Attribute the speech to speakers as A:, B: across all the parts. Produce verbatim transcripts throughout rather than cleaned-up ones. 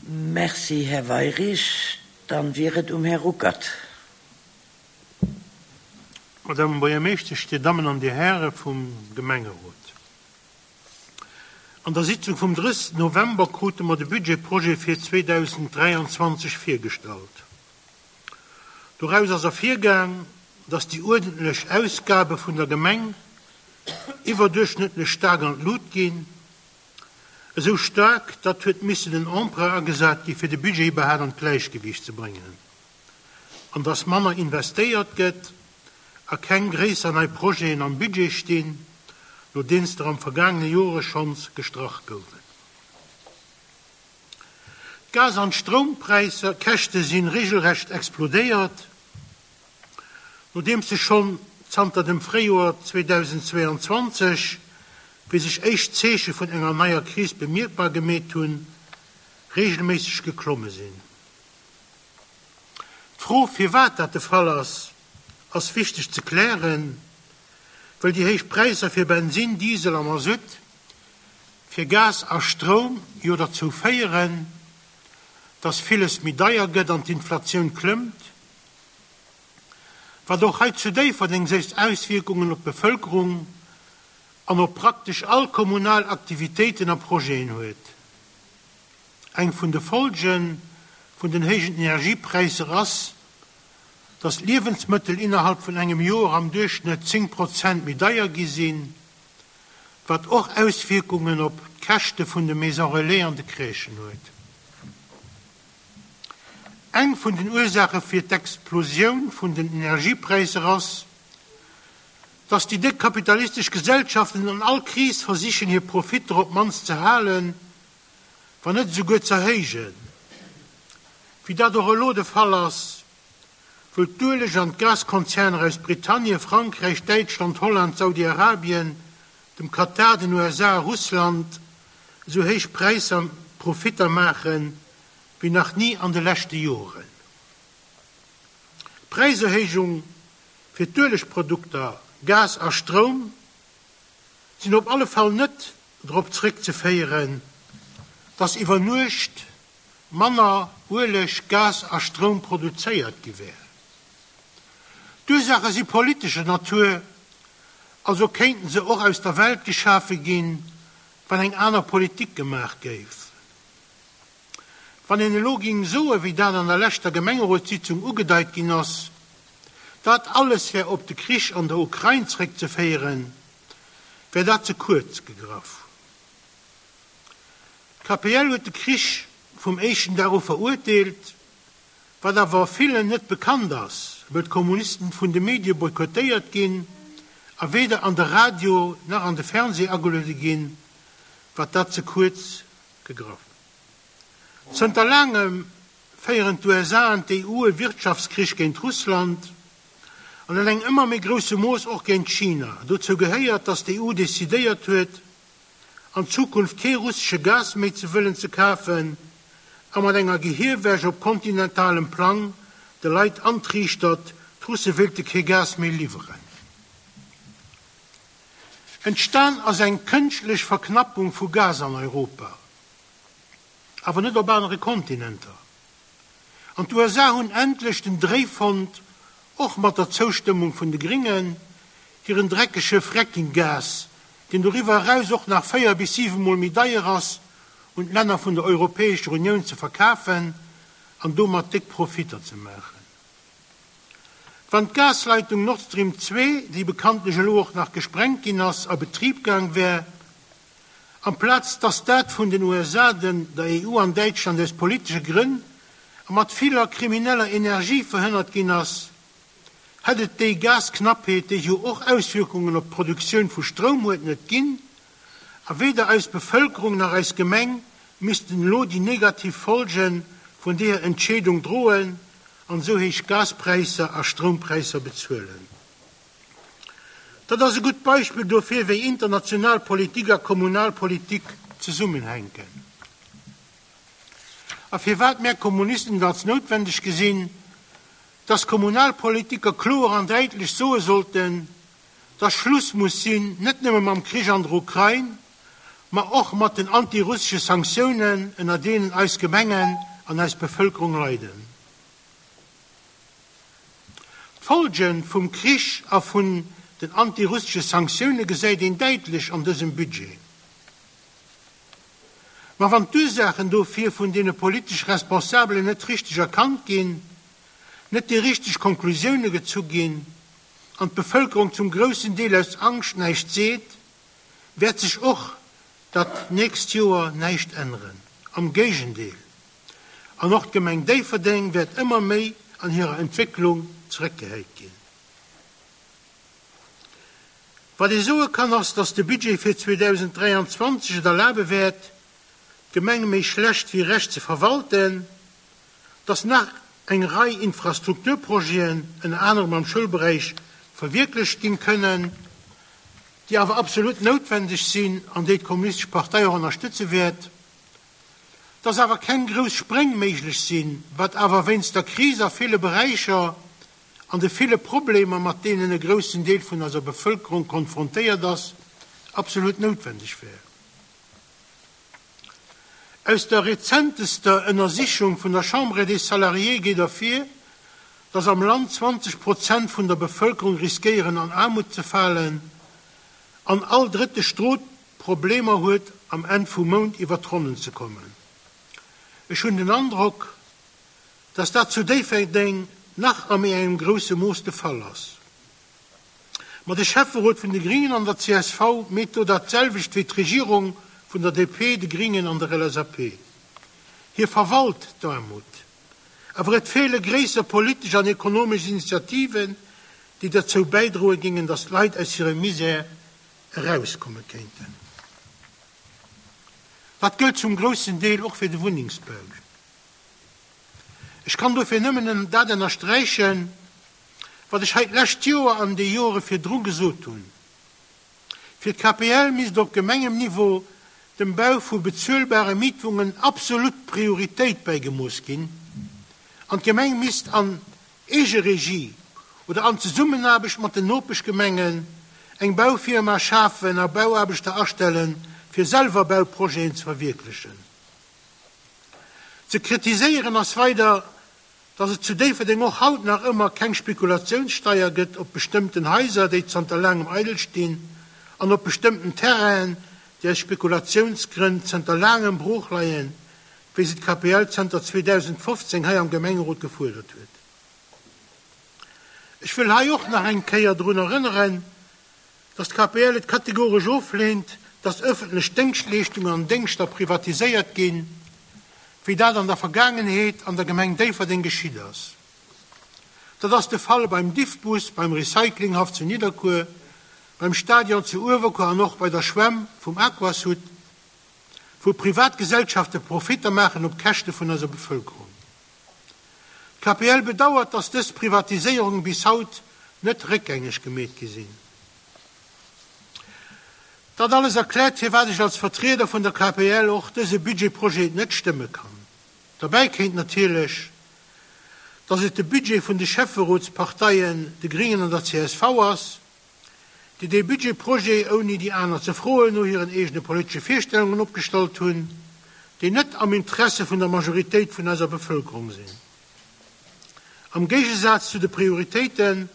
A: Merci, Här Weyrich. Dann wier et um Här Ruckert.
B: Madame Buergermeeschtesch, Dir Dammen an Dir Häre vum Gemengerot. An der Sitzung vum drëssegsten November krute mer de Budgetprojet fir zweedausenddräianzwanzeg virgestallt. Doraus ass ervirgaang, dass déi uerdentlech Ausgabe vun der Gemeng iwwerduerchschnëttlech staark an d'Lut ginn, esou staark, datt huet missen en Emprunt agesat gi fir de Budget iwwerhaapt an d'Gläichgewiicht ze bréngen, an dass manner investéiert gëtt a keng gréisser nei Projeten am Budget stinn, nodeems der am vergaangene Jore schonns gestrach goufen. D'Gas an d'Stroumpräisser, Käschte si regelrecht explodéiert, nodeems se schonn zanter dem Fréijoer zweedausendzweeanzwanzeg, wéi sech éischt Zeeche vun enger neier Kris bemierkbar gemeet hunn, regelméisseg geklomme sinn. D'Fro, firwat dat de Fall ass, ass wichteg ze klären, wëll déi héich Präisser fir Bensin, Diesel a Masutt, fir Gas a Stroum jo derzou féieren, dass villes méi deier gëtt an d'Inflatioun klëmmt, wat och hei zu Déifferdeng séiss Auswierkungen op d'Bevëlkerung an op praktesch all kommunal Aktivitéiten a Projeten huet. Eng vun de Folge vun den héijen Energiepräisser ass, dass Liewensmëttel innerhalb vun engem Joer am Duerchschnëtt zéng Prozent méi deier gi sinn, wat och Auswierkungen op d'Käschte vun de Maisons Relais an de Crèchen huet. Eng vun den Ursaache fir d'Explosioun vun den Energiepräisser ass, dass déi déck kapitalistesch Gesellschaften an all Kris versichen, hir Profitter op d'mannst ze halen, wann net esouguer z'erhéijen, wéi dat och elo de Fall ass, wou d'Ueleg an d'Gaskonzerner aus Britannien, Frankräich, Däitschland, Holland, Saudi-Arabien, dem Katar, den U S A a Russland esou héich Präisser Profitter maachen, wéi nach ni an de leschte Joren. D'Präiserhéijung fir d'Uelegprodukter, Gas a Stroum sinn op alle Fall net drop zréckzeféieren, dass iwwer Nuecht manner Ueleg, Gas a Stroum produzéiert gi wär. D'Ursaache si politescher Natur, also kéinten se och aus der Welt geschafe ginn, wann eng aner Politik gemaach géif. Wann een elo géing soen, wéi dat an der leschter Gemengerotssitzung ugedeit ginn ass, dat alles wär op de Krich an der Ukrain zréckzeféieren, wär dat ze kuerz gegraff. D'K P L huet de Krich vum éischten Dag u verurteelt, wat awer villen net bekannt ass, wëll d'Kommunisten vun de Medie boykottéiert ginn a weder an de Radio nach an de Fernsee ageluede ginn, wat dat ze kuerz gegraff. Zënter laangem féieren d'U S A an d'E U e Wirtschaftskrich géint Russland an an engem ëmmer méi grousse Mooss och géint China. Dozou gehéiert, datt d'E U decidéiert huet, an Zukunft kee russesche Gas méi ze wëllen ze kafen a mat enger Gehierwäsch op kontinentalem Plang de Leit antriichtert, d'Russe wéilte kee Gas méi liwweren. Entstan ass eng kënschtlech Verknappung vu Gas an Europa, awer net op anere Kontinenter. An d'U S A hunn endlech den Dréi fonnt, och mat der Zoustëmmung vun de Gringen, hiren dreckege Fracking-Gas, deen doriwwer eraus och nach véier bis siwe Mol méi deier ass, un d'Länner vun der Europäescher Unioun ze verkafen an domat déck Profitter ze maachen. Wann d'Gasleitung Nord Stream zwee, déi bekanntlech elo och nach gesprengt ginn ass, a Betrib gaang wär, amplaz dass dat vun den U S A, den der E U an Däitschland aus politesche Grënn a mat viller krimineller Energie verhënnert ginn ass, hätt et déi Gasknappheet, déi jo och Auswierkungen op d'Produktioun vu Stroum huet, net ginn, a weder eis Bevëlkerung nach eis Gemeng missten elo déi negativ Folge vun deeër Entscheedung droen an esou héich Gaspräisser a Stroumpräisser bezuelen. Dat ass e gutt Beispill dofir, wéi international Politik a kommunal Politik zesummenhänken. A firwat mär Kommunisten et als noutwendeg gesinn, dass Kommunalpolitiker kloer an däitlech soe sollten, dass Schluss muss sinn, net nëmme mam Krich an der Ukrain, ma och mat den antirussesche Sanktiounen, ënner deenen eis Gemengen an eis Bevëlkerung leiden. D'Folge vum Krich a vun den antirussesche Sanktioune gesäit een däitlech an dësem Budget. Ma wann d'Ursaachen dofir vun deene politesch Responsabelen net richteg erkannt ginn, net déi richteg Konklusioune gezu ginn an d'Bevëlkerung zum groussen Deel aus Angscht näischt seet, wäert sech och dat nächst Joer näischt änneren. Am Géigendeel, an och d'Gemeng Déifferdeng wäert ëmmer méi an hirer Entwécklung zeréckgehäit ginn. Wat ee soe kann ass, dass de Budget fir zweedausenddräianzwanzeg et erlabe wäert, d'Gemeng méi schlecht wéi recht ze verwalten, dass nach eng Rei Infrastrukturprojeten, ënner anerem am Schoulberäich, verwierklecht ginn kënnen, déi awer absolut noutwendeg sinn an déi d'Kommunistesch Partei och ënnerstëtze wäert, dass awer keng grouss Spréng méiglech sinn, wat awer wéinst der Kris a ville Beräicher an de ville Problemer, mat deenen e groussen Deel vun eiser Bevëlkerung konfrontéiert ass, absolut noutwendeg wär. Aus der rezentester Ënnersichung vun der Chambre des Salariés geet ervir, dass am Land zwanzeg Prozent vun der Bevëlkerung riskéieren an Aarmut ze falen an all drëtte Strot Problemer huet am Enn vum Mount iwwer d'Ronnen ze kommen. Ech hunn den Androck, dass dat zu Déifferdeng nach a méi engem grousse Mooss de Fall ass. Ma de Schäfferot vun de Gringen an der C S V meet do dat selwecht wéi d'Regierung vun der D P, de Gringen an der L S A P. Hie verwalt d'Aarmut. Awer et feele gréisser politesch an ekonomesch Initiativen, déi derzou bäidroe gingen, dass d'Leit aus hirem Misär erauskomme kéinten. Dat gëllt zum groussen Deel och fir de Wunnengsbau. Ech kann dofir nëmmen dat ënnersträichen, wat ech hei d'lescht Joer an déi Jore virdru gesot hunn. Fir d'K P L misst op Gemengenniveau dem Bau vu bezuelbare Mietwunnengen absolut Prioritéit bäigemooss ginn an d'Gemeng misst an Eegeregie oder an Zesummenaarbecht mat den Nopeschgemengen eng Baufirma schafen a Bauaarbechter astellen, fir selwer Bauprojeten ze verwierklechen. Ze kritiséieren ass weider, dass et zu Déifferdeng och haut nach ëmmer keng Spekulatiounssteier gëtt op bestëmmten Haiser, déi zanter laangem eidel stinn, an op bestëmmten Terrainen, déi aus Spekulatiounsgrënn zanter laangem brooch leien, wéi se d'K P L zanter zweedausendfofzéng hei am Gemengerot gefuerdert huet. Ech wëll hei och nach eng Kéier drun erënneren, dass d'K P L et kategoresch ofleent, dass ëffentlech Déngschtleeschtungen an Déngschter privatiséiert ginn, wéi dat an der Vergaangenheet an der Gemeng Déifferdeng geschitt ass. Dat ass de Fall beim Diffbus, beim Recyclinghaff zu Nidderkuer, beim Stadion zu Uewerkuer an och bei der Schwämm vum Aquasud, wou Privatgesellschafte Profitter maachen op Käschte vun eiser Bevëlkerung. D'K P L bedauert, dass dës Privatiséierunge bis haut net réckgängeg gemeet gi sinn. Dat alles erkläert, firwat ech als Vertrieder vun der K P L och dëse Budgetprojet net stëmme kann. Derbäi kënnt natierlech, dass et de Budget vun de Schäfferotsparteien, de Gringen an der C S V ass, déi dee Budgetprojet ouni déi aner ze froen no hiren eegene politesche Virstellungen opgestallt hunn, déi net am Interesse vun der Majoritéit vun eiser Bevëlkerung sinn. Am Géigesaz zu de Prioritéiten,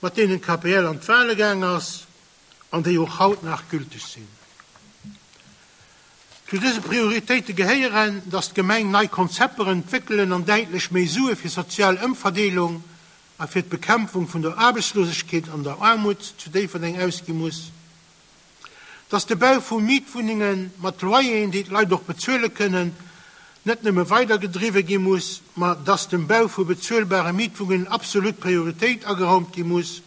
B: mat deenen d'K P L an d'Wale gaang ass an déi och haut nach gülteg sinn. Zu dëse Prioritéite gehéieren, dass d'Gemeng nei Konzepter entwéckelen an däitlech méi Sue fir sozial Ëmverdeelung a fir d'Bekämpfung vun der Aarbechtslosegkeet an der Aarmut zu Déifferdeng ausgi muss, dass de Bau vu Mietwunnenge mat Loyeren, déi d'Leit och bezuele kënnen, net nëmme weidergedriwwe gi muss, ma dass dem Bau vu bezuelbare Mietwunnengen absolut Prioritéit ageraumt gi muss,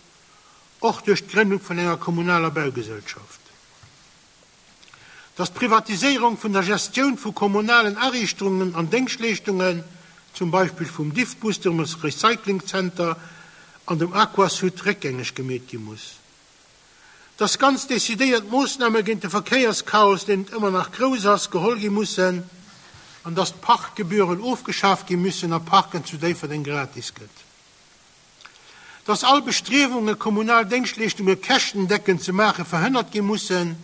B: och duerch d'Grënnung vun enger kommunaler Baugesellschaft. Dass d'Privatiséierung vun der Gestioun vu kommunalen Ariichtungen an Déngschtleeschtungen, zum Beispill vum Diffbus, dem Recyclingzenter an dem Aquasud réckgängeg gemeet gi muss. Dass ganz decidéiert Moossname géint de Verkéierschaos, deen ëmmer nach grouss ass, geholl gi mussen an dass d'Parkgebühren ofgeschaaft gi müssen a Parken zu Déifferdeng gratis gëtt. Dass all Bestriewunge kommunal Déngschtleeschtunge käschtendeckend ze maache verhënnert gi mussen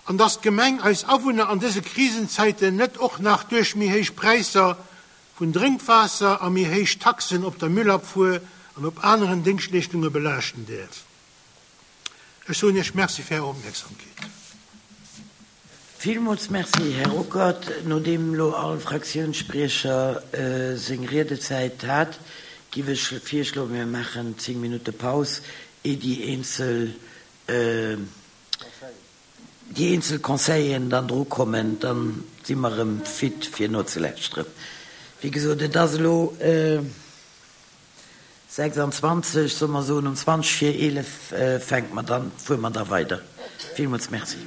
B: an dass d'Gemeng eis Awunner an dëse Krisenzäiten net och nach duerch méi héich Präisser vun Drénkwaasser a méi héich Taxen op der Müllabfuhr an op aneren Déngschtleeschtunge belaaschten däerf. Ech soen Iech Merci fir Är Opmierksamkeet.
A: Villmools Merci, Här Ruckert. Nodeem elo all Fraktiounsspriecher seng Riedezäit hat, giff ech virschloen, mir maachen zéng Minutte Paus, ier déi eenzel, déi eenzel Conseilleren dann drukommen. Dann si mer erëm fit fir nozelauschteren. Wéi gesot, et ass elo sechsanzwanzeg, solle mer soen, um zwanzeg vir eelef fänke mer dann, fuere mer da weider. Villmools Merci.